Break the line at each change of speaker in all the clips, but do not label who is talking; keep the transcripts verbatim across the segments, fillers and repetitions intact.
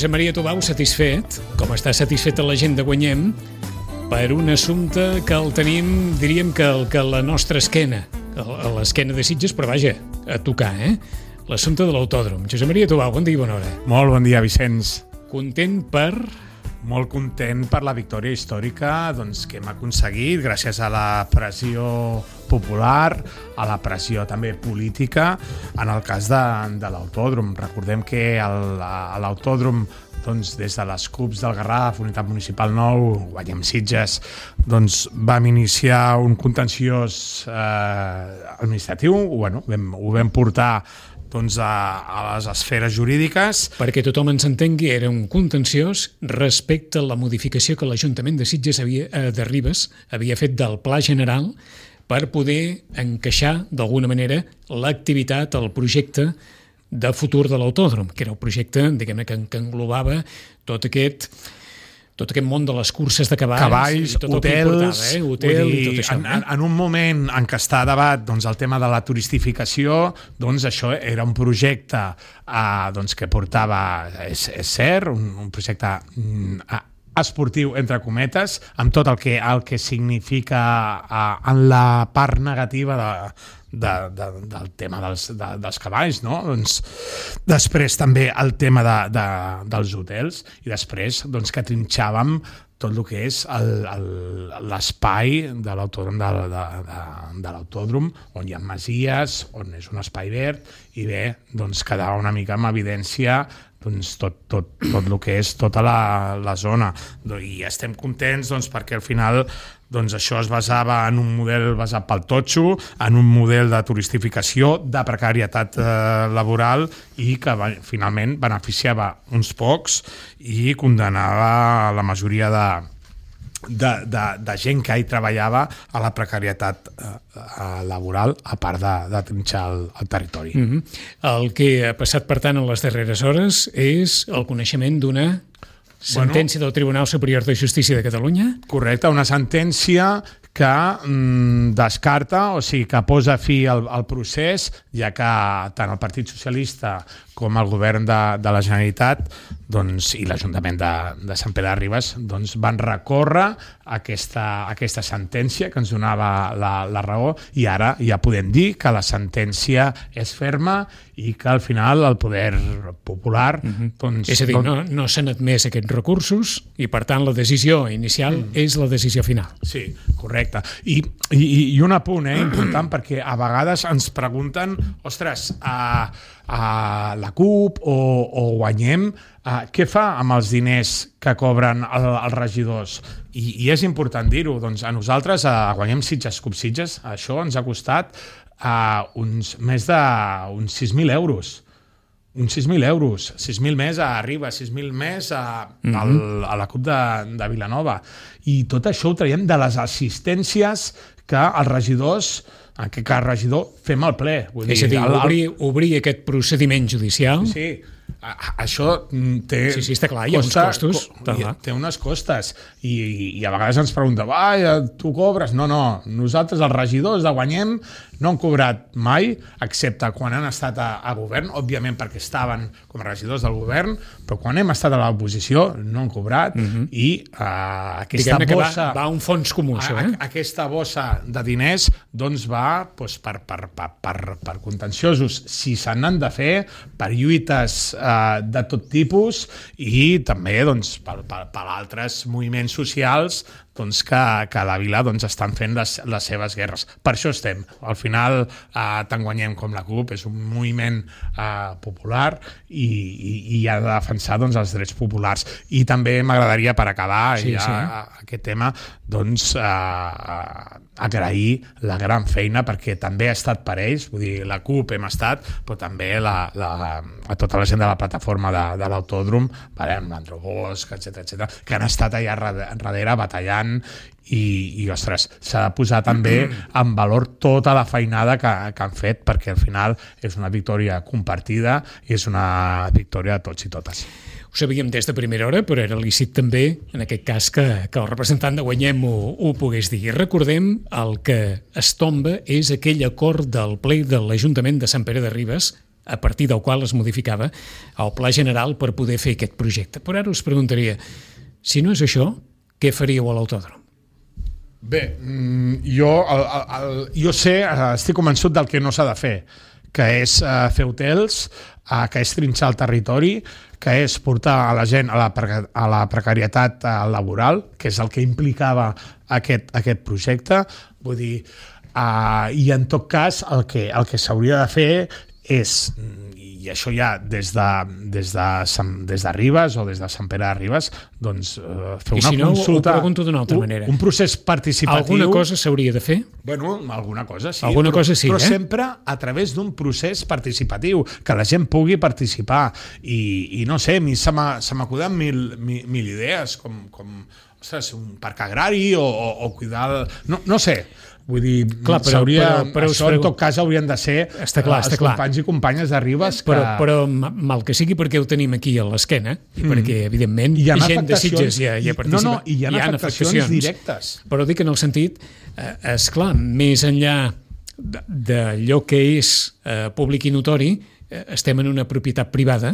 Josep Maria Tubau satisfet, com està satisfeta la gent de Guanyem, per un assumpte que el tenim, diríem que, el, que la nostra esquena, a l'esquena de Sitges, però vaja, a tocar, eh? L'assumpte de l'autòdrom. Josep Maria Tubau, bon dia i bona hora.
Molt bon dia, Vicenç.
Content per...
Molt content per la victòria històrica doncs, que hem aconseguit gràcies a la pressió popular, a la pressió també política, en el cas de, de l'autòdrom. Recordem que el, a l'autòdrom, doncs, des de les C U Ps del Garraf, Unitat Municipal nou, Guanyem Sitges, doncs, vam iniciar un contenciós eh, administratiu, bueno, vam, ho vam portar doncs, a, a les esferes jurídiques.
Perquè tothom ens entengui, era un contenciós respecte a la modificació que l'Ajuntament de Sitges havia, eh, de Ribes havia fet del Pla General per poder encaixar, d'alguna manera, l'activitat, el projecte de futur de l'autòdrom, que era el projecte, diguem-ne, que, que englobava tot aquest... tot aquest món de les curses de cavalls,
cavalls,
i tot
hotels,
eh? Hotel
dir,
i tot això.
En, en, en un moment en què està a debat doncs, el tema de la turistificació, doncs això era un projecte eh, doncs, que portava, és, és cert, un, un projecte eh, esportiu, entre cometes, amb tot el que, el que significa eh, en la part negativa de De, de, del tema dels, de, dels cavalls, no? Doncs, després també el tema de, de, dels hotels i després doncs, que trinxàvem tot el que és l'espai de l'autòdrom, de, de, de, de l'autòdrom, on hi ha masies, on és un espai verd, i bé, doncs quedava una mica en evidència doncs, tot, tot, tot el que és tota la, la zona. I estem contents doncs, perquè al final doncs, això es basava en un model basat pel totxo, en un model de turistificació, de precarietat eh, laboral i que va, finalment beneficiava uns pocs i condenava la majoria de, de, de, de gent que hi treballava a la precarietat eh, laboral, a part de, de trinxar el, el territori.
Mm-hmm. El que ha passat, per tant, en les darreres hores és el coneixement d'una sentència bueno, del Tribunal Superior de Justícia de Catalunya?
Correcte, una sentència que mm, descarta, o sigui, que posa fi al, al procés, ja que tant el Partit Socialista com el govern de, de la Generalitat doncs, i l'Ajuntament de, de Sant Pere de Ribes doncs, van recórrer aquesta, aquesta sentència que ens donava la, la raó, i ara ja podem dir que la sentència és ferma i que al final el poder popular...
Mm-hmm.
doncs,
és a dir,
doncs...
no, no s'han admès aquests recursos i per tant la decisió inicial mm. és la decisió final.
Sí, correcte. I, i, i un apunt eh, important, perquè a vegades ens pregunten, ostres, a, a la C U P o, o Guanyem, a, què fa amb els diners que cobren el, els regidors? I, i és important dir-ho, doncs a nosaltres, a Guanyem Sitges, C U P Sitges, això ens ha costat a uns més de uns sis mil euros. Uns sis mil euros, sis mil més a Ribes, sis mil més a, mm-hmm. al, a la C U P de, de Vilanova. I tot això ho traiem de les assistències que els regidors, en aquest cas regidor, fem al ple. Vull
és dir, a dir, el, obrir, obrir aquest procediment judicial...
Sí, a, a, això té...
Sí, sí, està clar, hi ha costa, uns costos.
Co, hi, té unes costes. I, i a vegades ens pregunten, vai, tu cobres? No, no, nosaltres els regidors de Guanyem no han cobrat mai, excepte quan han estat a, a govern, òbviament perquè estaven com a regidors del govern, però quan hem estat a l'oposició no han cobrat, mm-hmm. i uh, aquesta
Diguem-ne
bossa...
Va, va a un fons comú, això, eh?
A, aquesta bossa de diners doncs va doncs, per, per, per, per, per contenciosos, si se n'han de fer, per lluites uh, de tot tipus, i també doncs, per, per, per altres moviments socials doncs, que, que a la vila doncs, estan fent les, les seves guerres. Per això estem. Al final, eh, tant Guanyem com la C U P és un moviment eh, popular i, i, i ha de defensar doncs, els drets populars. I també m'agradaria, per acabar sí, ja, sí. aquest tema, doncs, eh, agrair la gran feina, perquè també ha estat per ells, vull dir, la C U P hem estat, però també la, la, a tota la gent de la plataforma de, de l'autòdrom, vale, amb l'Andro Bosch, etcètera, etcètera, que han estat allà darrere batallant i, i ostres, s'ha de posar també en valor tota la feinada que, que han fet, perquè al final és una victòria compartida i és una victòria de tots i totes.
Ho sabíem des de primera hora, però era lícit també, en aquest cas, que, que el representant de Guanyem ho, ho pogués dir. Recordem, el que es tomba és aquell acord del ple de l'Ajuntament de Sant Pere de Ribes a partir del qual es modificava el pla general per poder fer aquest projecte. Però ara us preguntaria, si no és això, què faríeu a l'autòdrom?
Bé, jo, el, el, jo sé, estic convençut del que no s'ha de fer, que és uh, fer hotels, uh, que és trinxar el territori, que és portar a la gent a la, a la precarietat uh, laboral, que és el que implicava aquest, aquest projecte. Vull dir, uh, i en tot cas el que, el que s'hauria de fer és, i això ja des de, des de, des de Ribes o des de Sant Pere de Ribes, doncs uh, fer una
I si no,
consulta...
ho pregunto d'una altra
un,
manera.
Un procés participatiu...
Alguna cosa s'hauria de fer?
Bueno, alguna cosa sí.
Alguna
però,
cosa sí,
però
eh?
sempre a través d'un procés participatiu, que la gent pugui participar. I, i no sé, a mi se m'acuden mil, mil, mil idees, com, com ostres, un parc agrari o, o, o cuidar... El... No, no sé, vull dir, clar, però, però, però això pregu... en tot cas haurien de ser
està clar,
els
està clar.
companys i companyes de Ribes que...
Però, però mal que sigui perquè ho tenim aquí a l'esquena i mm. perquè, evidentment,
hi ha
gent de Sitges ja, ja participa.
No, no, i hi ha, hi ha afectacions, afectacions directes.
Però dic en el sentit, eh, esclar, més enllà d'allò que és eh, públic i notori, eh, estem en una propietat privada,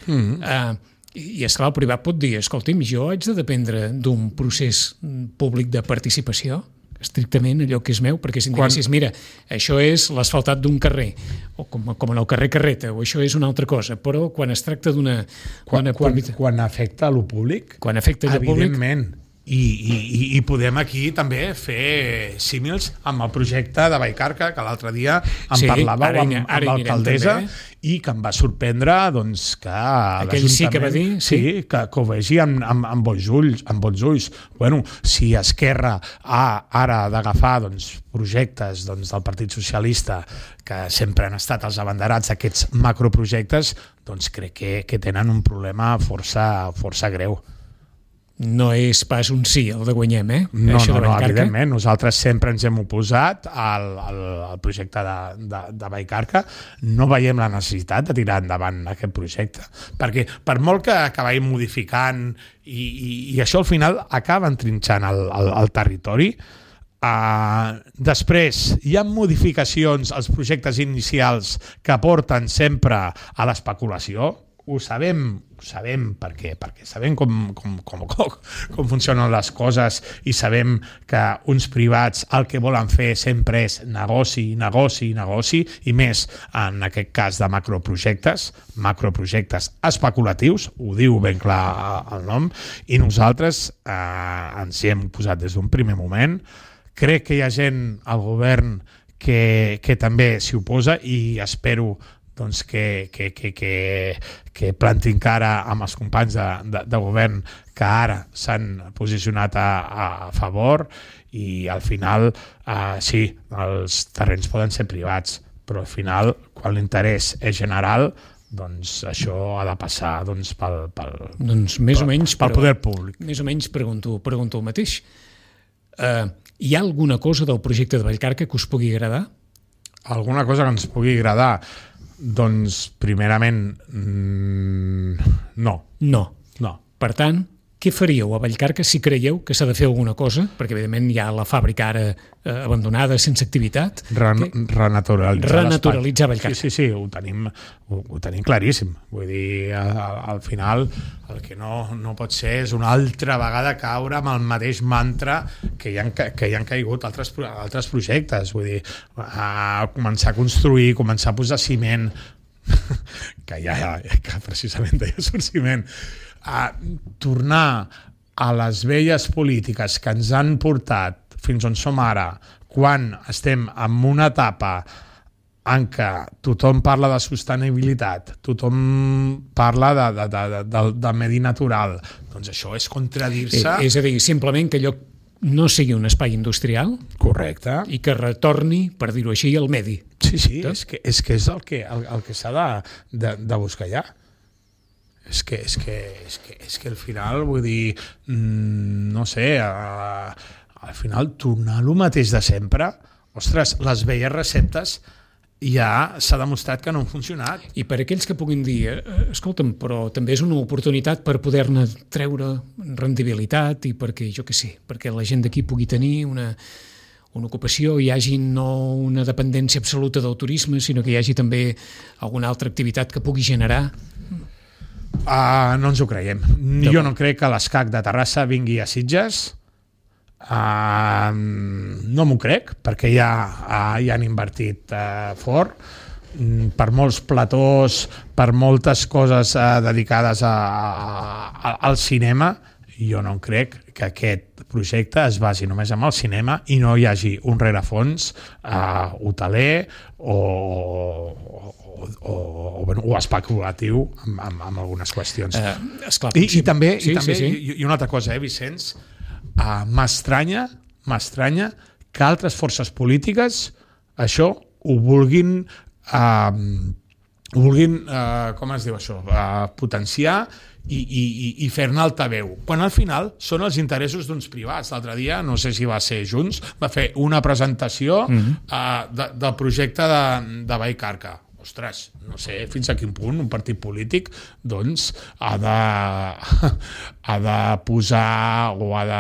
mm. eh, i esclar, el privat pot dir, escolti'm, jo haig de dependre d'un procés públic de participació, estrictament allò que és meu, perquè si em diguessis, mira, això és l'asfaltat d'un carrer, o com, com en el carrer Carreta, o això és una altra cosa, però quan es tracta d'una...
Quan, quan, quan afecta a lo públic,
quan afecta a lo públic,
evidentment, i, i, i podem aquí també fer símils amb el projecte de Vallcarca, que l'altre dia em
sí,
parlàveu amb, amb l'alcaldessa i que em va sorprendre doncs, que
aquell sí que va dir
sí, sí que, que ho vegi amb, amb, amb, bons ulls, amb bons ulls. Bueno, si Esquerra ha ara d'agafar doncs, projectes doncs, del Partit Socialista que sempre han estat els abanderats d'aquests macroprojectes, doncs crec que, que tenen un problema força, força greu.
No és pas un sí el de guanyem, eh?
No, Això no, no, evidentment. Nosaltres sempre ens hem oposat al, al, al projecte de, de, de Vallcarca. No veiem la necessitat de tirar endavant aquest projecte. Perquè per molt que acabem modificant i, i, i això al final acaba entrinxant el, el, el territori, Uh, després hi ha modificacions als projectes inicials que porten sempre a l'especulació. Ho sabem, ho sabem perquè, perquè sabem com, com, com, com, com funcionen les coses i sabem que uns privats el que volen fer sempre és negoci, negoci, negoci, i més en aquest cas de macroprojectes, macroprojectes especulatius, ho diu ben clar el nom, i nosaltres eh, ens hi hem posat des d'un primer moment. Crec que hi ha gent al govern que, que també s'hi oposa i espero doncs, que, que, que, que, que plantin cara amb els companys de, de, de govern que ara s'han posicionat a, a favor i al final, eh, sí, els terrenys poden ser privats, però al final, quan l'interès és general, doncs això ha de passar doncs, pel, pel,
doncs més
pel,
o menys,
pel poder públic.
Més o menys pregunto, pregunto el mateix. Eh... Uh, Hi ha alguna cosa del projecte de Vallcarca que us pugui agradar?
Alguna cosa que ens pugui agradar? Doncs, primerament, mmm, no.
No.
No.
Per tant, què faríeu a Vallcarca si creieu que s'ha de fer alguna cosa? Perquè, evidentment, hi ha la fàbrica ara eh, abandonada, sense activitat.
Ren renaturalitzar
Renaturalitzar Vallcarca.
Sí, sí, sí, ho tenim, ho, ho tenim claríssim. Vull dir, al, al final, el que no, no pot ser és una altra vegada caure amb el mateix mantra que hi han, que hi han caigut altres, altres projectes. Vull dir, a començar a construir, començar a posar ciment, que ja, que precisament deia surt ciment, a tornar a les velles polítiques que ens han portat fins on som ara, quan estem en una etapa en què tothom parla de sostenibilitat, tothom parla de, de, de, de, de medi natural, doncs això és contradir-se.
Eh, és a dir, simplement que allò no sigui un espai industrial.
Correcte.
I que retorni, per dir-ho així, al medi.
Sí, sí, és que és, que és el que, el, el que s'ha de, de, de buscar ja. És que, és, que, és, que, és que al final, vull dir, mmm, no sé, a, al final tornar a lo mateix de sempre, ostres, les velles receptes ja s'ha demostrat que no han funcionat.
I per aquells que puguin dir, eh, escolta'm, però també és una oportunitat per poder-ne treure rendibilitat i perquè, jo què sé, perquè la gent d'aquí pugui tenir una, una ocupació, hi hagi no una dependència absoluta del turisme, sinó que hi hagi també alguna altra activitat que pugui generar?
Uh, no ens ho creiem. Jo no crec que l'Escac de Terrassa vingui a Sitges. Uh, no m'ho crec, perquè ja, uh, ja han invertit uh, fort. Mm, per molts platós, per moltes coses uh, dedicades a, a, al cinema, jo no crec que aquest projecte es basi només en el cinema i no hi hagi un rerefons uh, hoteler o, o, o, o, bueno, o especulatiu amb, amb, amb algunes qüestions. Uh,
esclar,
I,
sí.
i també,
sí,
i, també
sí, sí.
I, i una altra cosa, eh, Vicenç? Uh, m'estranya, m'estranya que altres forces polítiques això ho vulguin uh, ho vulguin, uh, com es diu això, uh, potenciar i, i, i fer-ne altaveu, quan al final són els interessos d'uns privats. L'altre dia, no sé si va ser Junts, va fer una presentació mm-hmm. uh, de, del projecte de, de Vallcarca. Ostres, no sé fins a quin punt un partit polític doncs ha de, ha de posar o ha de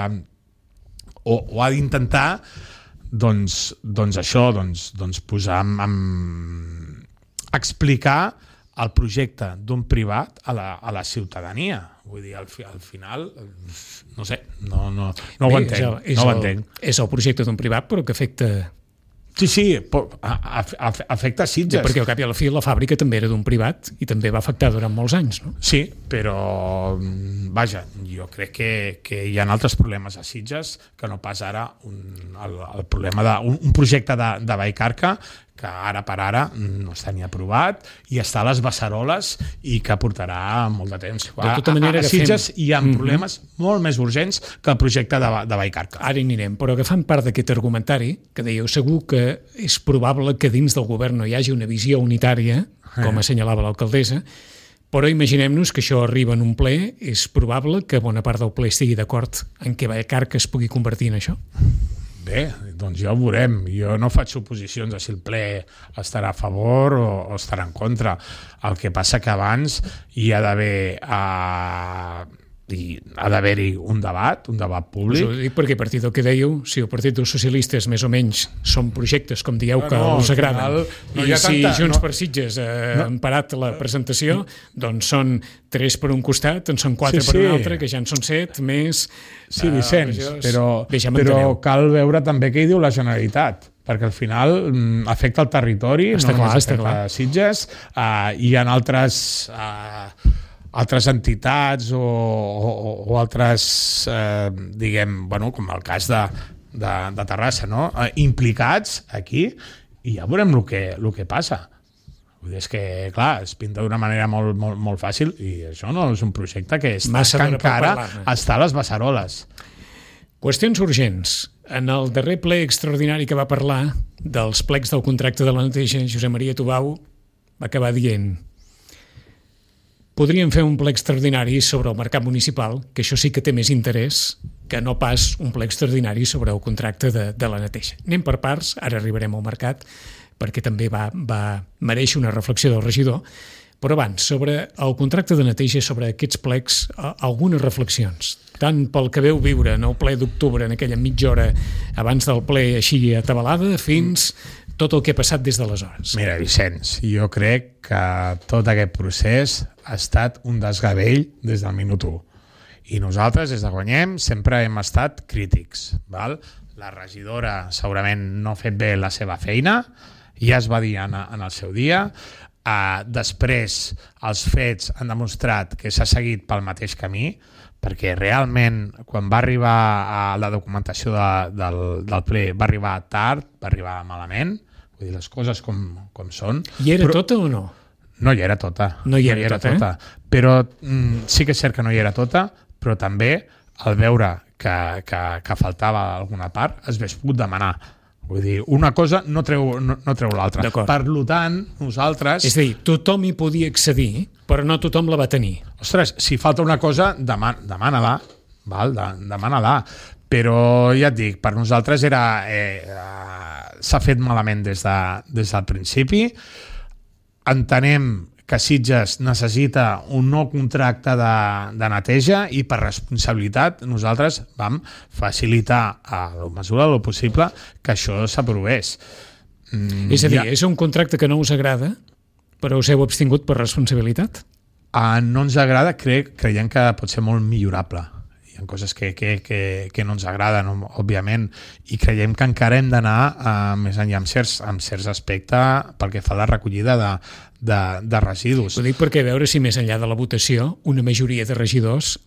o, o ha d'intentar doncs, doncs això, doncs, doncs posar amb, amb explicar el projecte d'un privat a la, a la ciutadania. Vull dir, al, fi, al final, no sé, no, no, no
Bé,
ho entenc.
És el, és,
no ho
el,
entenc.
és el projecte d'un privat, però que afecta...
Sí, sí, afecta Sitges.
Sí, perquè al cap i a la fi la fàbrica també era d'un privat i també va afectar durant molts anys, no?
Sí, però, vaja, jo crec que, que hi ha altres problemes a Sitges que no pas ara un, el, el problema d'un un projecte de, de Vallcarca que ara per ara no està ni aprovat i està a les beceroles i que portarà molt de temps.
De tota manera,
a, a Sitges
agafem...
hi ha problemes mm-hmm. molt més urgents que el projecte de, de Vallcarca.
Ara hi anirem, però agafant part d'aquest argumentari, que dèieu, segur que és probable que dins del govern no hi hagi una visió unitària, com assenyalava l'alcaldessa, però imaginem-nos que això arriba en un ple, és probable que bona part del ple estigui d'acord en què Vallcarca es pugui convertir en això?
Bé, doncs ja ho veurem. Jo no faig suposicions de si el ple estarà a favor o, o estarà en contra. El que passa que abans hi ha d'haver uh, hi ha d'haver-hi un debat, un debat públic.
Us ho dic perquè a partir del que dèieu, si el Partit dels Socialistes més o menys són projectes, com dieu, que no, us agraden, no i si tanta, Junts no, per Sitges ha no, parat la presentació, doncs són tres per un costat, en són quatre sí, per un altre, que ja en són set, més...
Sí, Vicenç, uh, però, però cal veure també què hi diu la Generalitat, perquè al final mm, afecta el territori,
està
no
clar,
només
està
afecta
clar.
Sitges, uh, hi ha altres... Uh, altres entitats o, o, o altres, eh, diguem, bueno, com el cas de, de, de Terrassa, no? Eh, implicats aquí i ja veurem el que, el que passa. Vull dir, és que, clar, es pinta d'una manera molt, molt, molt fàcil i això no és un projecte que, està, que encara està a les beceroles.
Qüestions urgents. En el darrer ple extraordinari que va parlar dels plecs del contracte de la neteja, Josep Maria Tubau va acabar dient: podríem fer un ple extraordinari sobre el mercat municipal, que això sí que té més interès que no pas un ple extraordinari sobre el contracte de, de la neteja. Anem per parts, ara arribarem al mercat, perquè també va, va mereixer una reflexió del regidor, però abans, sobre el contracte de neteja, sobre aquests plecs, algunes reflexions, tant pel que veu viure en el ple d'octubre, en aquella mitja hora abans del ple així atabalada, fins tot el que ha passat des d'aleshores.
Mira, Vicenç, jo crec que tot aquest procés ha estat un desgavell des del minut u. I nosaltres, des de Guanyem, sempre hem estat crítics. Val? La regidora segurament no ha fet bé la seva feina, ja es va dir en, en el seu dia. Uh, després, els fets han demostrat que s'ha seguit pel mateix camí, perquè realment, quan va arribar a la documentació de, del, del ple, va arribar tard, va arribar malament, vull dir, les coses com, com són.
I era però... tota o no?
No hi era tota.
No hi era, no hi era tota, tota.
Eh? Però mm, sí que és cert que no hi era tota, però també al veure que, que, que faltava alguna part es hauria pogut demanar. Vull dir, una cosa no treu, no, no treu l'altra. Per tant, nosaltres...
És a dir, tothom hi podia accedir, però no tothom la va tenir.
Ostres, si falta una cosa, deman demana-la, val? De demana-la. Però ja et dic, per nosaltres era... Eh, eh, s'ha fet malament des, de, des del principi. Entenem que Sitges necessita un nou contracte de, de neteja i per responsabilitat nosaltres vam facilitar a la mesura del possible que això s'aprovés.
Mm, és a dir, ja... és un contracte que no us agrada, però us heu abstingut per responsabilitat?
Uh, no ens agrada, cre creiem que pot ser molt millorable. Hi ha coses que, que, que, que no ens agraden, òbviament, i creiem que encara hem d'anar uh, més enllà amb certs, amb certs aspectes pel que fa a la recollida de, de, de residus.
Ho dic perquè a veure si més enllà de la votació una majoria de regidors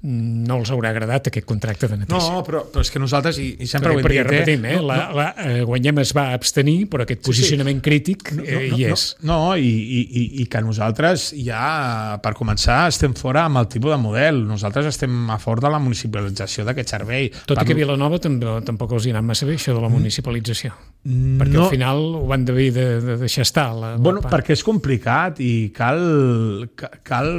no els haurà agradat aquest contracte de neteja.
No, però, però és que nosaltres, i, i sempre
perquè,
ho hem
perquè,
dit...
repetim, eh?
No,
la,
no.
La, eh, Guanyem es va abstenir, però aquest posicionament sí, sí. crític eh,
no, no,
hi és.
No, no i, i, i que nosaltres ja, per començar, estem fora amb el tipus de model. Nosaltres estem a favor de la municipalització d'aquest servei.
Tot
per...
i que Vilanova també, tampoc els hi ha anat massa bé, això de la municipalització.
Mm,
perquè
no.
al final ho van haver de, de deixar estar. La,
bueno,
la
perquè és complicat i cal, cal,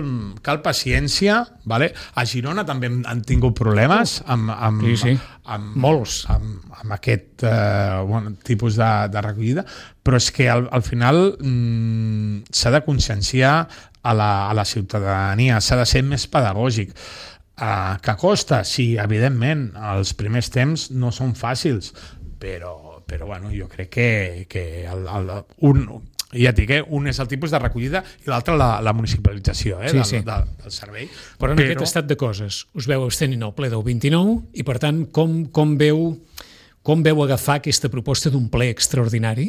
cal paciència. Vale? A Girona també han tingut problemes amb, amb,
sí, sí.
amb,
molts
amb, amb aquest eh, bueno, tipus de, de recollida, però és que al, al final mm, s'ha de conscienciar a la, a la ciutadania, s'ha de ser més pedagògic. Eh, que costa? Sí, evidentment, els primers temps no són fàcils, però, però bueno, jo crec que, que el, el, un... ja et dic, eh? Un és el tipus de recollida i l'altre la, la municipalització eh?
sí,
del,
sí.
del, del servei.
Però en Però... aquest estat de coses us veu abstenint al ple del vint-i-nou i per tant com, com veu com veu agafar aquesta proposta d'un ple extraordinari?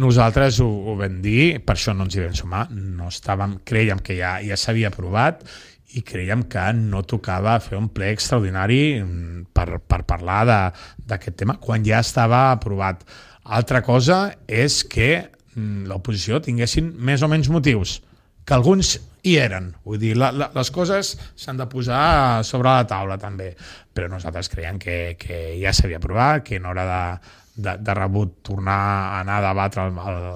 Nosaltres ho, ho vam dir, per això no ens hi vam sumar, no estàvem, creiem que ja, ja s'havia aprovat i creiem que no tocava fer un ple extraordinari per, per parlar d'aquest tema quan ja estava aprovat. Altra cosa és que l'oposició tinguessin més o menys motius, que alguns hi eren. Vull dir, la, la, les coses s'han de posar sobre la taula també, però nosaltres creiem que, que ja s'havia aprovat, que no era de, de, de rebut tornar a anar a debatre el, el,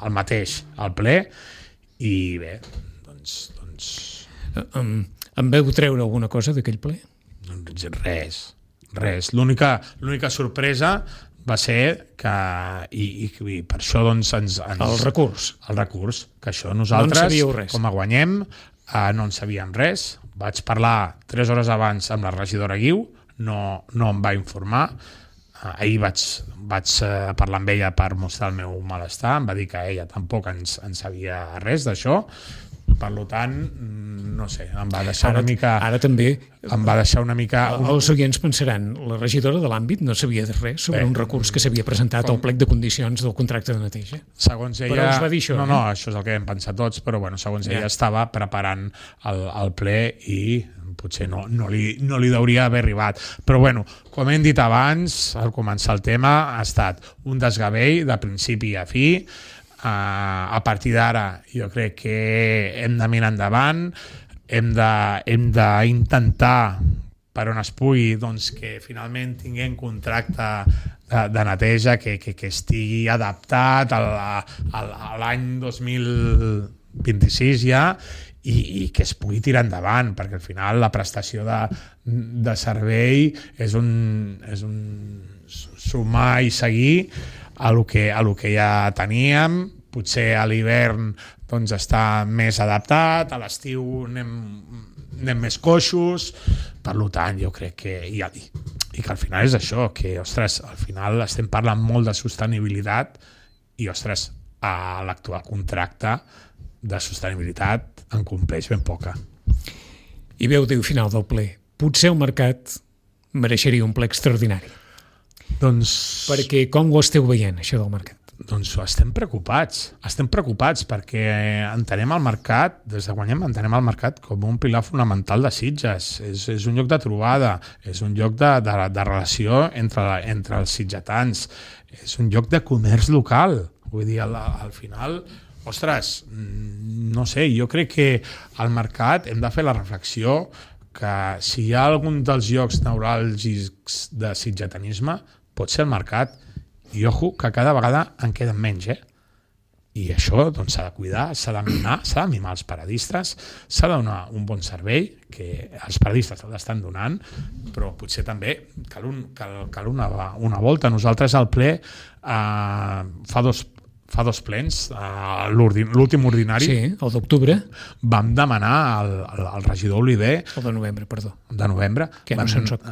el mateix al ple, i bé, doncs... doncs...
Em, em veu treure alguna cosa d'aquell ple?
Doncs res, res. L'única l'única sorpresa va ser que, i, i, i per això doncs ens, ens...
El recurs.
El recurs, que això nosaltres,
no
com a guanyem, eh, no en sabíem res. Vaig parlar tres hores abans amb la regidora Guiu, no, no em va informar. Eh, ahir vaig, vaig eh, parlar amb ella per mostrar el meu malestar, em va dir que ella tampoc ens, en sabia res d'això. Per tant, no sé, em va deixar
ara,
una mica...
Ara també...
Em va deixar una mica...
Un... Els oients pensaran, la regidora de l'àmbit no sabia de res sobre Bé, un recurs que s'havia presentat com... al plec de condicions del contracte de neteja.
Segons ella...
Però us va dir això,
no,
eh?
no, això és el que hem pensat tots, però bueno, segons ja. ella estava preparant el, el ple i potser no, no, li, no li hauria d'haver arribat. Però bueno, com hem dit abans, al començar el tema, ha estat un desgavell de principi a fi. Uh, a partir d'ara jo crec que hem de mirar endavant, hem d'intentar per on es pugui doncs, que finalment tinguem contracte de, de neteja que, que, que estigui adaptat a l'any dos mil vint-i-sis ja i, i que es pugui tirar endavant, perquè al final la prestació de, de servei és un, és un sumar i seguir a lo que, a lo que ja teníem. Potser a l'hivern doncs, està més adaptat, a l'estiu anem, anem més coixos, per tant jo crec que i, i que al final és això, que ostres, al final estem parlant molt de sostenibilitat i ostres, a l'actual contracte de sostenibilitat en compleix ben poca.
I veu diu final del ple, potser el mercat mereixeria un ple extraordinari.
Doncs...
Perquè com ho esteu veient, això del mercat?
Doncs estem preocupats, estem preocupats perquè entenem el mercat, des de Guanyem entenem el mercat com un pilar fonamental de Sitges, és, és un lloc de trobada, és un lloc de, de, de relació entre, entre els sitgetans, és un lloc de comerç local, vull dir, al, al final, ostres, no sé, jo crec que al mercat hem de fer la reflexió que si hi ha algun dels llocs neuràlgics de sitgetanisme, pot ser el mercat. I ojo, que cada vegada en queden menys, eh? I això doncs, s'ha de cuidar, s'ha de mimar, s'ha de mimar els paradistes, s'ha de donar un bon servei, que els paradistes l'estan donant, però potser també cal, un, cal, cal una, una volta. Nosaltres al ple, eh, fa, dos, fa dos plens, uh, l'últim ordinari,
sí, el d'octubre,
vam demanar al, al, al regidor Oliver...
El de novembre, perdó.
De novembre.
Que no
vam,
se'n soc.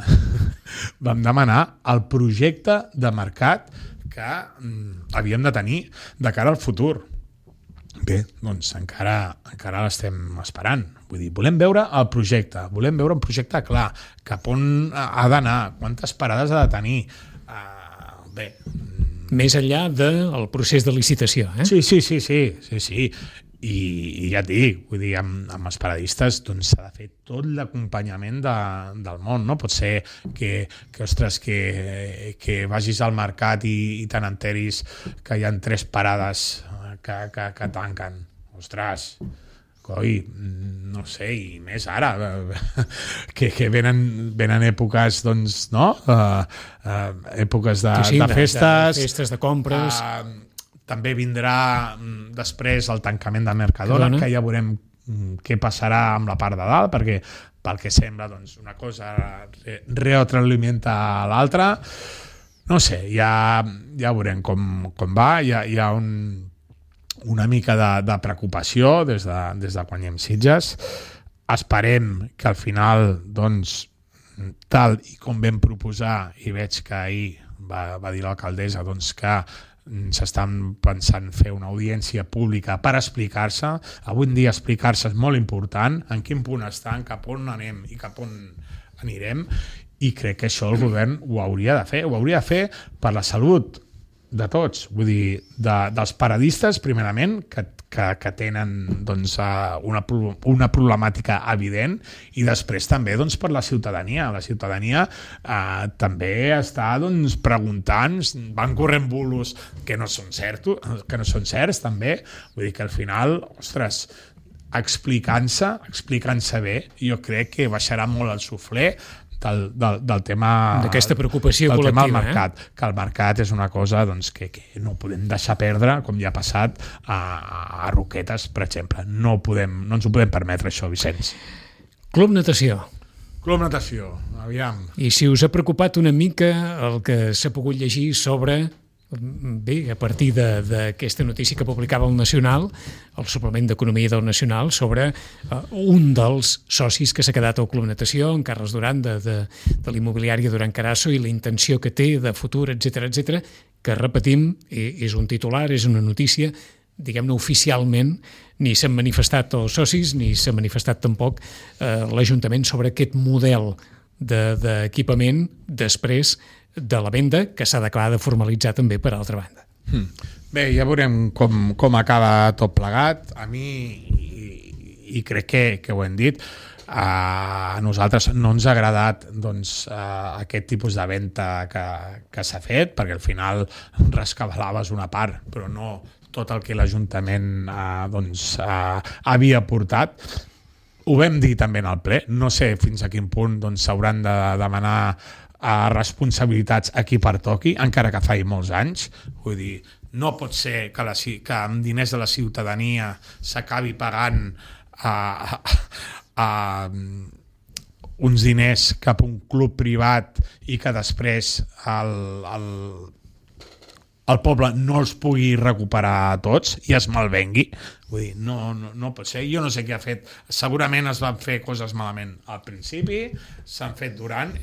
Vam demanar el projecte de mercat que mm, havíem de tenir de cara al futur. Bé, doncs encara, encara l'estem esperant. Vull dir, volem veure el projecte, volem veure un projecte clar, cap on ha d'anar, quantes parades ha de tenir. Uh, bé...
Més enllà del procés de licitació, eh?
Sí, sí, sí, sí, sí, sí. I, i ja et dic, vull dir, amb, amb els paradistes doncs s'ha de fer tot l'acompanyament de, del món, no? Pot ser que, que ostres, que, que vagis al mercat i, i te n'enteris que hi ha tres parades que, que, que tanquen. Ostres, coi, no sé, i més ara, que, que venen, venen èpoques, doncs, no? Uh, uh, èpoques de,
sí, sí,
de festes.
De, de festes, de compres.
Uh, també vindrà després el tancament de Mercadona, Cadona. Que ja veurem què passarà amb la part de dalt, perquè pel que sembla, doncs, una cosa re retroalimenta l'altra. No sé, ja, ja veurem com, com va. Hi ha, hi ha un... una mica de, de preocupació des de, des de quan hi hem Sitges. Esperem que al final, doncs, tal i com vam proposar, i veig que ahir va, va dir l'alcaldessa doncs, que s'estan pensant fer una audiència pública per explicar-se. Avui en dia explicar-se és molt important, en quin punt estan, cap on anem i cap on anirem, i crec que això el govern ho hauria de fer. Ho hauria de fer per la salut de tots, vull dir, de, dels paradistes, primerament, que, que, que tenen doncs, una, una problemàtica evident, i després també doncs, per la ciutadania. La ciutadania eh, també està doncs, preguntant, van corrent bulos que no són certs, que no són certs també, vull dir que al final, ostres, explicant-se, explicant-se bé, jo crec que baixarà molt el suflé del, del, del tema
d'aquesta preocupació
del
col·lectiva,
tema del mercat, eh? Que el mercat és una cosa doncs, que, que no podem deixar perdre, com ja ha passat a, a Roquetes, per exemple. No, podem, no ens ho podem permetre, això, Vicenç. Club
Natació.
Club Natació, aviam.
I si us ha preocupat una mica el que s'ha pogut llegir sobre... Bé, a partir d'aquesta notícia que publicava el Nacional, el suplement d'Economia del Nacional, sobre uh, un dels socis que s'ha quedat al Club Natació, en Carles Duran, de, de, de l'immobiliària Duran Carasso, i la intenció que té de futur, etcètera, etcètera, que repetim, és un titular, és una notícia, diguem-ne oficialment, ni s'han manifestat els socis, ni s'ha manifestat tampoc eh, l'Ajuntament sobre aquest model d'equipament de, després de la venda, que s'ha d'acabar de formalitzar també per altra banda.
Hmm. Bé, ja veurem com, com acaba tot plegat. A mi, i, i crec que, que ho hem dit, a nosaltres no ens ha agradat doncs, aquest tipus de venda que, que s'ha fet, perquè al final rescabalaves una part, però no tot el que l'Ajuntament eh, doncs, eh, havia portat. Ho vam dir també en el ple, no sé fins a quin punt doncs, s'hauran de demanar a responsabilitats a qui pertoqui, encara que faci molts anys. Vull dir, no pot ser que, la, que amb diners de la ciutadania s'acabi pagant a, a, a uns diners cap a un club privat i que després el, el, el poble no els pugui recuperar tots i es malvengui. Vull dir, no, no, no pot ser. Jo no sé què ha fet. Segurament es van fer coses malament al principi, s'han fet durant...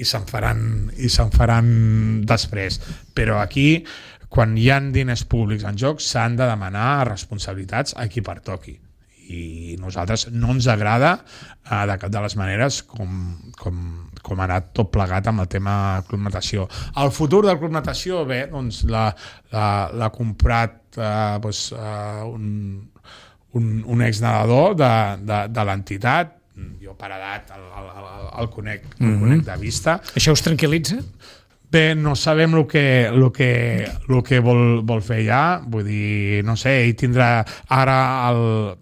i se'n faran, i se'n faran després. Però aquí, quan hi ha diners públics en joc, s'han de demanar responsabilitats a qui pertoqui. I nosaltres no ens agrada eh, de cap de les maneres com, com, com ha anat tot plegat amb el tema Club Natació. El futur del Club Natació, bé, doncs l'ha comprat eh, doncs, eh, un, un, un exnadador de, de, de l'entitat. Jo per edat el, el, el, el, conec, el mm-hmm. conec de vista.
Això us tranquil·litza?
Bé, no sabem el que, el que, el que vol, vol fer ja, vull dir, no sé, ell tindrà ara el...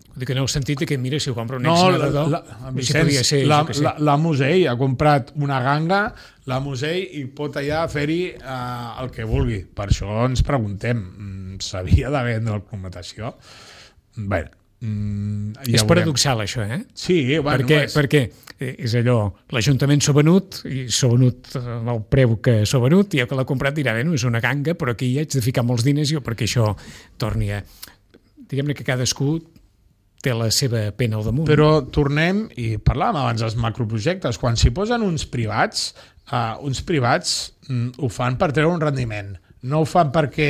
Vull dir que no heu sentit que, mira, si ho compra un
no,
exnadador,
la, la, Vicenç, si ser, la, la, la Musell ha comprat una ganga, la Musell, i pot allà fer-hi uh, el que vulgui. Per això ens preguntem, s'havia de vendre el Club Natació? Bé, Mm, ja
és
veurem.
paradoxal, això, eh?
Sí, bueno,
perquè,
és...
perquè és allò, l'Ajuntament s'ha venut, i s'ha venut el preu que s'ha venut, i el que l'ha comprat dirà, bé, no, és una ganga, però aquí hi haig de ficar molts diners jo perquè això torni a... Diguem-ne que cadascú té la seva pena al damunt.
Però tornem, i parlàvem abans dels macroprojectes, quan s'hi posen uns privats, uh, uns privats mm, ho fan per treure un rendiment. No ho fan perquè...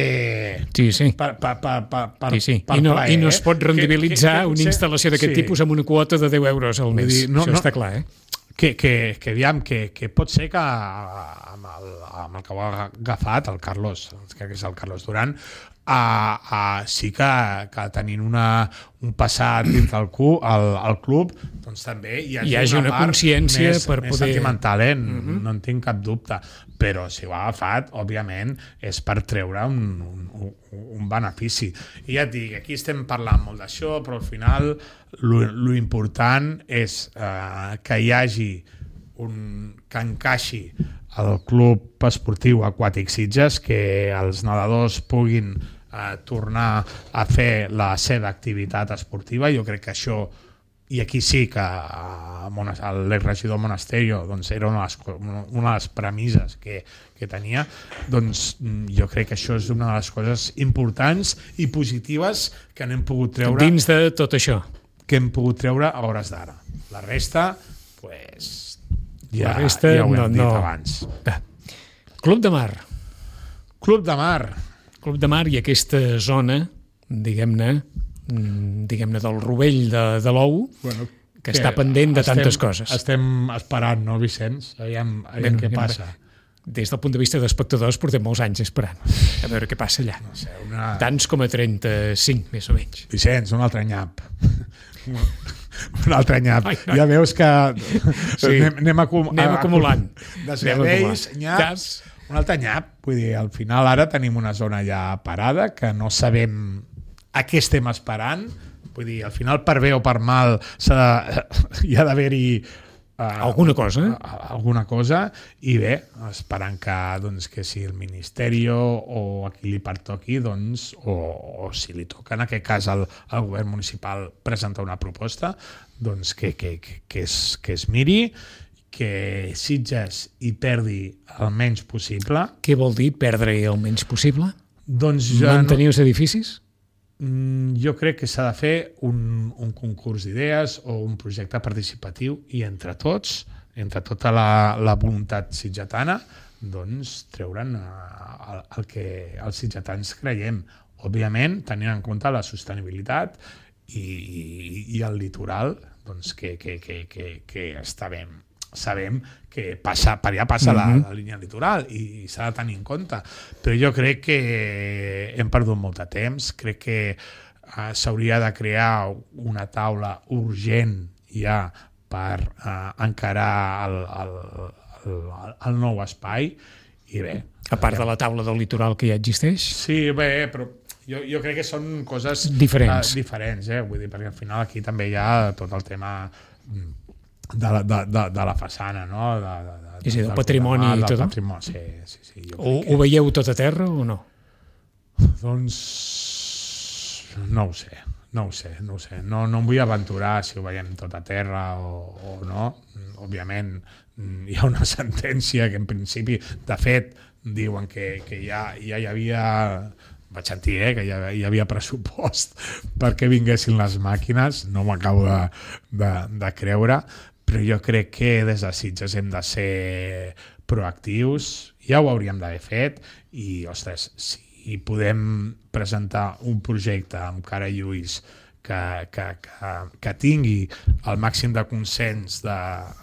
Sí, sí.
Per, per, per, per, per,
sí, sí.
per
I, no,
plaer,
I no es pot rendibilitzar
que, que, que
una instal·lació d'aquest
sí.
tipus amb una quota de deu euros al mes.
Dir, no,
això
no,
està clar, eh?
Que, que, que, aviam, que, que pot ser que amb el, amb el que ho ha agafat, el Carlos, crec que és el Carlos Duran, Uh, uh, sí que, que tenint una, un passat dins del cu, el, el club, doncs també hi hagi,
hi hagi una, una consciència
més,
per
més
poder...
sentimental, eh? uh-huh.
Uh-huh.
No en tinc cap dubte, però si ho ha agafat, òbviament, és per treure un, un, un, un benefici. I ja et dic, aquí estem parlant molt d'això, però al final lo, lo important és uh, que hi hagi un, que encaixi el Club Esportiu Aquàtic Sitges, que els nedadors puguin eh, tornar a fer la seva activitat esportiva. Jo crec que això, i aquí sí que eh, l'exregidor Monasterio doncs, era una de les, una de les premisses que, que tenia, doncs jo crec que això és una de les coses importants i positives que n'hem pogut treure
dins de tot això
que hem pogut treure a hores d'ara. La resta, pues, ja,
la resta
ja ho hem
no,
dit
no.
abans.
Club de Mar.
Club de Mar.
Club de Mar i aquesta zona, diguem-ne, diguem-ne del rovell de, de l'ou, bueno, que, que està pendent de
estem,
tantes coses.
Estem esperant, no, Vicenç? Aviam, aviam bueno, què passa.
Des del punt de vista d'espectadors portem molts anys esperant a veure què passa allà.
No sé, una...
Tants com a trenta-cinc, més o menys.
Vicenç, un altre nyap. un altre nyap. Ai, ja veus que sí. anem, anem, acum
anem acumulant.
De serveis, nyaps, un altre nyap. Vull dir, al final ara tenim una zona ja parada que no sabem a què estem esperant. Vull dir, al final per bé o per mal de, hi ha d'haver-hi Uh,
alguna cosa
uh, alguna cosa i bé, esperant que, doncs, que si el Ministeri o a qui li pertoqui doncs, o, o si li toca en aquest cas al, al govern municipal presentar una proposta doncs que, que, que, que, es, que es miri, que Sitges hi perdi el menys possible.
Què vol dir perdre el menys possible?
Doncs ja
mantenir no... els edificis?
Jo crec que s'ha de fer un, un concurs d'idees o un projecte participatiu i entre tots, entre tota la, la voluntat sitgetana, doncs treure'n el, el que els sitgetans creiem. Òbviament, tenint en compte la sostenibilitat i, i, i el litoral, doncs que, que, que, que, que està bé. Sabem que passa, per allà passa mm-hmm. la, la línia litoral i s'ha de tenir en compte, però jo crec que hem perdut molt de temps. Crec que uh, s'hauria de crear una taula urgent ja per uh, encarar el, el, el, el nou espai i bé.
A part de la taula del litoral que ja existeix?
Sí, bé, però jo, jo crec que són coses
diferents,
uh, diferents eh? Vull dir, perquè al final aquí també hi ha tot el tema de la, de, de, de la façana, no? De, de, de,
és a dir, del patrimoni i tot?
Patrimoni, sí, sí, sí, jo
ho, ho veieu tot a terra o no?
Doncs no ho sé, no ho sé, no ho sé. No, no em vull aventurar si ho veiem tot a terra o, o no. Òbviament hi ha una sentència que en principi, de fet, diuen que, que ja, ja hi havia... Vaig sentir eh, que hi havia, hi havia pressupost perquè vinguessin les màquines, no m'acabo de, de, de creure, però jo crec que des de Sitges hem de ser proactius, ja ho hauríem d'haver fet i, ostres, si podem presentar un projecte amb cara i ulls que, que, que, que tingui el màxim de consens de,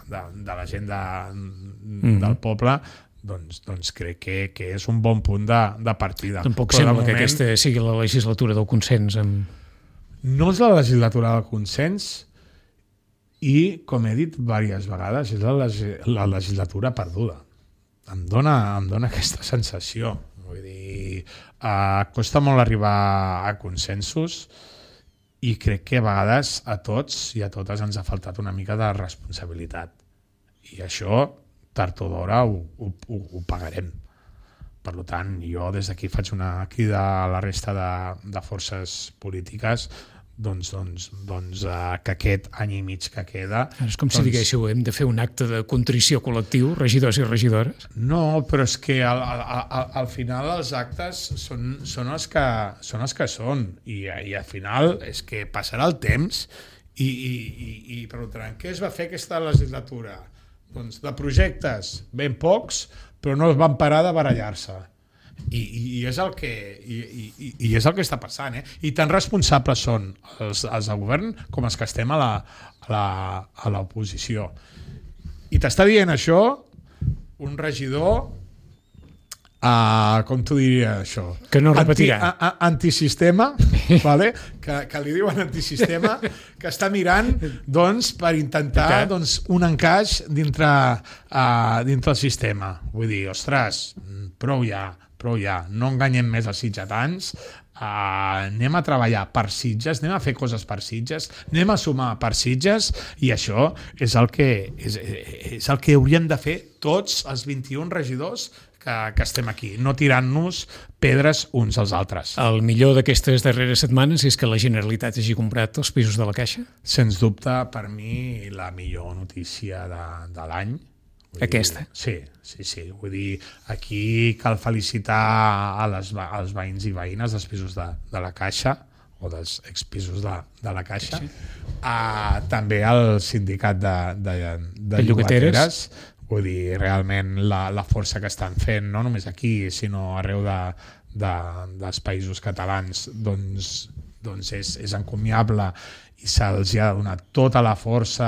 de, de la gent de, mm. del poble, Doncs, doncs crec que, que és un bon punt de, de partida.
Tampoc Però sembla moment, que aquesta sigui la legislatura del consens. Amb...
No és la legislatura del consens i, com he dit diverses vegades, és la, la legislatura perduda. Em dona, em dona aquesta sensació. Vull dir, eh, costa molt arribar a consensos i crec que a vegades a tots i a totes ens ha faltat una mica de responsabilitat. I això... tard o d'hora ho, ho, ho, ho pagarem. Per tant, jo des d'aquí faig una crida a la resta de, de forces polítiques doncs, doncs, doncs uh, que aquest any i mig que queda...
És com
doncs,
si diguéssiu, hem de fer un acte de contrició col·lectiu, regidors i regidores.
No, però és que al, al, al final els actes són, són, els que, són els que són i, i al final és que passarà el temps i, i, i, i preguntaran què es va fer aquesta legislatura? Doncs de projectes ben pocs, però no es van parar de barallar-se. I, i, i, és el que, i, i, i és el que està passant. Eh? I tan responsables són els, els del govern com els que estem a la, a la, a l'oposició. I t'està dient això un regidor, uh, com t'ho diria això?
Que no repetirà.
Anti, a, a, antisistema, vale? que, que li diuen antisistema, que està mirant doncs, per intentar doncs, un encaix dintre, uh, dintre el sistema. Vull dir, ostres, prou ja, prou ja, no enganyem més els sitgetans, uh, anem a treballar per Sitges, anem a fer coses per Sitges, anem a sumar per Sitges, i això és el que, és, és el que hauríem de fer tots els vint-i-un regidors que, que estem aquí, no tirant-nos pedres uns als altres.
El millor d'aquestes darreres setmanes és que la Generalitat hagi comprat els pisos de la Caixa?
Sens dubte, per mi, la millor notícia de, de l'any.
Aquesta?
Dir, sí, sí, sí. Vull dir, aquí cal felicitar a les, als veïns i veïnes dels pisos de, de la Caixa, o dels expisos de, de la Caixa, sí. uh, també al sindicat de, de, de, de llogateres. Vull dir, realment la, la força que estan fent, no només aquí, sinó arreu de, de, dels països catalans, doncs, doncs és, és encomiable i se'ls ha donat tota la força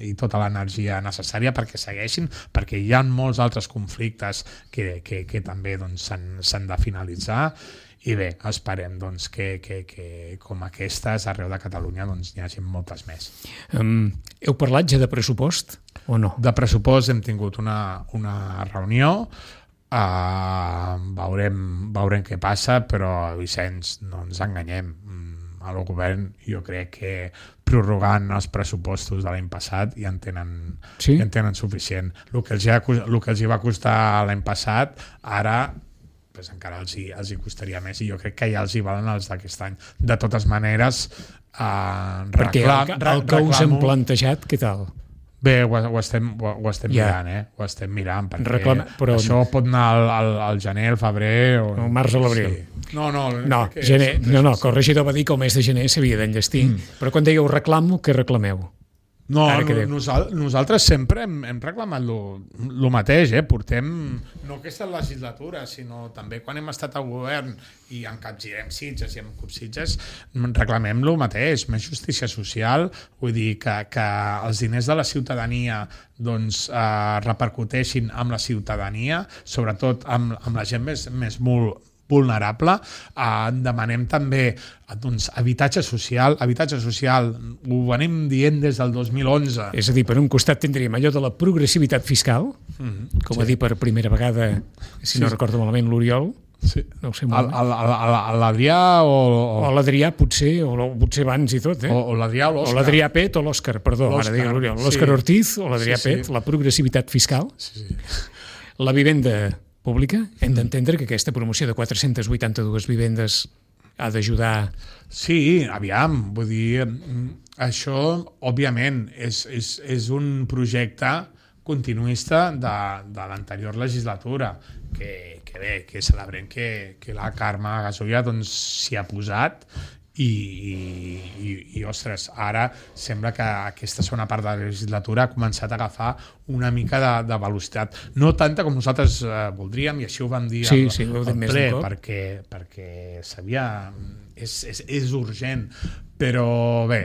i tota l'energia necessària perquè segueixin, perquè hi ha molts altres conflictes que, que, que també doncs, s'han de finalitzar. I bé, esperem doncs, que, que, que com aquestes arreu de Catalunya doncs, n'hi hagi moltes més.
Um, heu parlat ja de pressupost o no?
De pressupost hem tingut una, una reunió, uh, veurem, veurem què passa, però Vicenç, no ens enganyem. El govern jo crec que prorrogant els pressupostos de l'any passat ja en tenen, sí? ja en tenen suficient. El que, els ha, el que els hi va costar l'any passat, ara pues encara els hi, els hi costaria més, i jo crec que ja els hi valen els d'aquest any. De totes maneres, eh,
perquè
reclam,
el, el que us hem plantejat, què tal?
Bé, ho, ho estem, ho, ho estem yeah. mirant, eh? Ho estem mirant, perquè Reclama, però... això pot anar al, al, al gener, al febrer... O...
El març o l'abril.
Sí. No, no,
no, gener, no, no, que el regidor va dir que el mes de gener s'havia d'enllestir, mm. però quan dèieu reclamo, què reclameu?
No, no nosal, nosaltres sempre hem, hem reclamat el mateix, eh? Portem, no aquesta legislatura, sinó també quan hem estat al govern i encapgirem Sitges i en Sitges, reclamem el mateix, més justícia social, vull dir que, que els diners de la ciutadania doncs, eh, repercuteixin amb la ciutadania, sobretot amb, amb la gent més, més molt vulnerable. Eh, demanem també doncs, habitatge social. Habitatge social ho venim dient des del dos mil onze.
És a dir, per un costat tindríem allò de la progressivitat fiscal, mm-hmm, com sí. a dir per primera vegada, si sí. no recordo malament, l'Oriol.
Sí.
No ho sé molt.
L'Adrià o...
O l'Adrià potser, o potser abans i tot, eh?
O, o l'Adrià o l'Òscar.
O l'Adrià Pet o l'Òscar, perdó, ara digue l'Oriol. L'Òscar sí. Ortiz o l'Adrià sí, sí. Pet, la progressivitat fiscal.
Sí, sí.
La vivenda pública, hem d'entendre que aquesta promoció de quatre-centes vuitanta-dues vivendes ha d'ajudar...
Sí, aviam, vull dir, això, òbviament, és, és, és un projecte continuista de, de l'anterior legislatura, que, que bé, que celebrem que, que la Carme Gasolla doncs, s'hi ha posat i, i, i, i, ostres, ara sembla que aquesta segona part de la legislatura ha començat a agafar una mica de, de velocitat. No tanta com nosaltres eh, voldríem, i així ho vam dir
sí,
al,
sí,
al ple, perquè, perquè s'havia... És, és, és urgent, però bé...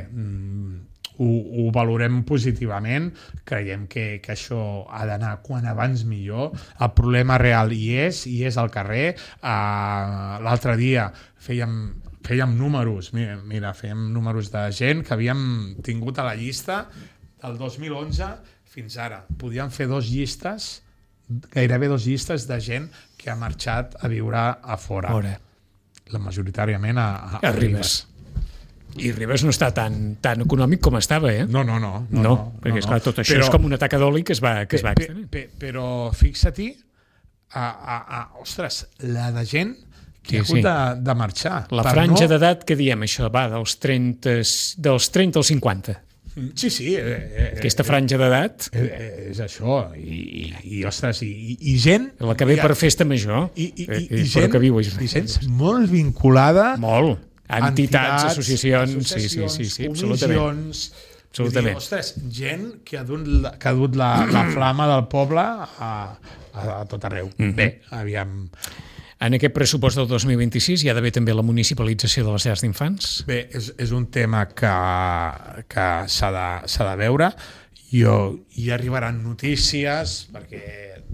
Ho, ho valorem positivament, creiem que, que això ha d'anar quan abans millor. El problema real hi és, hi és al carrer. Uh, l'altre dia fèiem, fèiem números, mira, mira, fèiem números de gent que havíem tingut a la llista del dos mil onze fins ara. Podíem fer dos llistes, gairebé dos llistes de gent que ha marxat a viure a fora.
Fora.
La majoritàriament a, a, a, a Ribes.
I Ribes no està tan, tan econòmic com estava, eh?
No, no, no. No,
no,
no
perquè,
no,
esclar, tot això
però,
és com una taca d'oli que es va, que es va
pe,
extenent.
Pe, però fixa-t'hi, a, a, a, ostres, la de gent que sí, ha hagut sí. de, de marxar.
La franja no... d'edat, que diem això, va dels trenta, dels trenta als cinquanta.
Sí, sí. Eh,
Aquesta franja d'edat...
Eh, és això, i, i, i ostres, i, i, i gent...
La que ve per festa major.
I, i, i,
i,
i gent,
que viu,
i gent molt vinculada...
Molt. Entitats, entitats associacions,
associacions,
sí, sí, sí,
absolutament.
absolutament.
Dir, ostres, gent que ha dut, que ha dut la, la flama del poble a, a, a tot arreu. Mm-hmm. Bé, aviam...
En aquest pressupost del dos mil vint-i-sis hi ha d'haver també la municipalització de les llars d'infants?
Bé, és, és un tema que, que s'ha de, s'ha de veure. Jo, hi arribaran notícies, perquè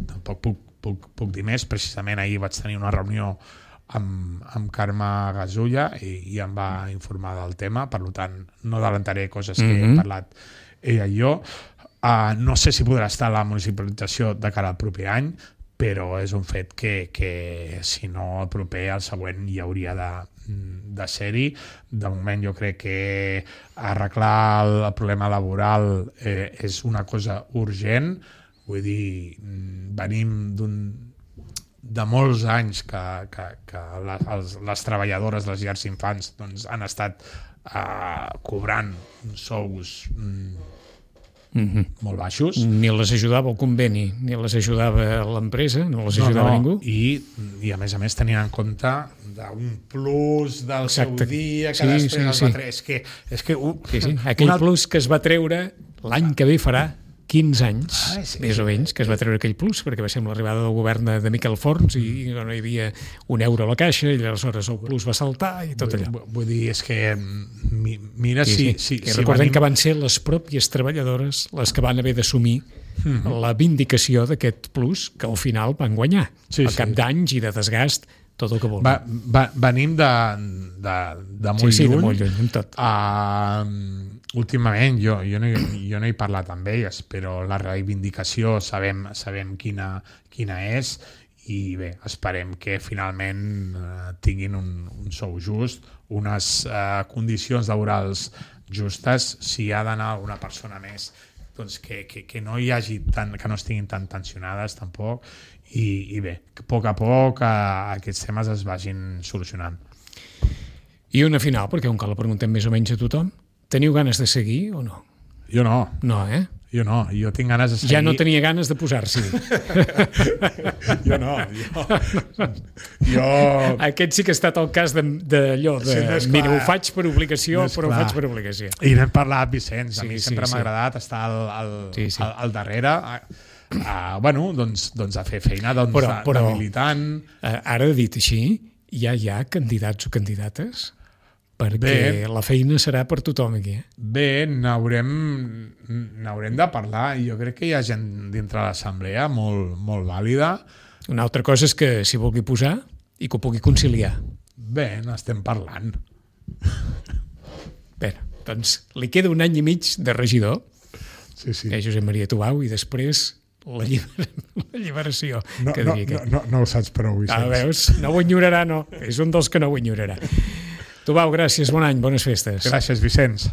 tampoc puc, puc, puc dir més. Precisament ahir vaig tenir una reunió amb, amb Carme Gasulla i, i em va informar del tema, per tant no adelantaré coses que mm-hmm. he parlat ella i jo. Uh, no sé si podrà estar la municipalització de cara al proper any, però és un fet que, que si no el proper, el següent hi hauria de, de ser-hi. De moment jo crec que arreglar el, el problema laboral eh, és una cosa urgent. Vull dir, venim d'un de molts anys que, que, que les, els, les treballadores de les llars d'infants doncs, han estat eh, cobrant sous mm, mm-hmm. molt baixos.
Ni les ajudava el conveni, ni les ajudava l'empresa, no les ajudava no, no. ningú.
I, I a més a més tenint en compte d'un plus del Exacte. Seu dia que
sí,
després
sí,
es
sí.
va treure. És que, és que, uh,
sí, sí. Aquell una... plus que es va treure l'any que ve farà quinze anys, ah, sí, més o menys, que es va treure aquell plus, perquè va ser amb l'arribada del govern de, de Miquel Forns i no hi havia un euro a la caixa i aleshores el plus va saltar i tot allò.
Vull, vull dir, és que mira
sí,
si...
Sí.
si,
I
si
recordem
venim...
que van ser les pròpies treballadores les que van haver d'assumir mm-hmm. la vindicació d'aquest plus que al final van guanyar.
Sí,
al cap
sí.
d'anys i de desgast, tot el que volen.
Va, va, venim de, de, de molt
sí, sí,
lluny.
de molt lluny, amb tot.
Uh, últimament, jo, jo, no, jo no he parlat amb elles, però la reivindicació sabem, sabem quina, quina és i bé, esperem que finalment uh, tinguin un, un sou just, unes uh, condicions laborals justes. Si hi ha d'anar una persona més, doncs que, que, que no hi hagi tant, que no estiguin tan tensionades tampoc. I, i bé, que a poc a poc a, aquests temes es vagin solucionant.
I una final, perquè un que la preguntem més o menys a tothom, teniu ganes de seguir o no?
Jo no.
No, eh?
Jo no, jo tinc ganes de seguir...
Ja no tenia ganes de posar-s'hi.
jo no, jo... jo...
Aquest sí que ha estat el cas d'allò de... de sí, mira, ho faig per obligació, no però clar. Ho faig per obligació.
I n'hem parlat, Vicenç, a
sí,
mi
sí,
sempre
sí.
m'ha agradat estar al, al,
sí, sí.
al, al darrere... Uh, bueno, doncs, doncs a fer feina doncs,
però,
de,
però,
de militant.
Uh, ara, dit així, ja hi ha candidats o candidates? Perquè bé, la feina serà per tothom aquí. Eh?
Bé, n'haurem n'haurem de parlar. Jo crec que hi ha gent dintre l'assemblea molt, molt vàlida.
Una altra cosa és que s'hi vulgui posar i que ho pugui conciliar.
Bé, n'estem parlant.
Bé, doncs li queda un any i mig de regidor,
sí, sí.
eh, Josep Maria Tubau, i després... La, lliber... la lliberació.
No,
que
no,
no,
no, no ho saps prou, Vicenç.
Ah, veus? No ho enyorarà, no. És un dels que no ho enyorarà. Tubau, gràcies, bon any, bones festes.
Gràcies, Vicenç.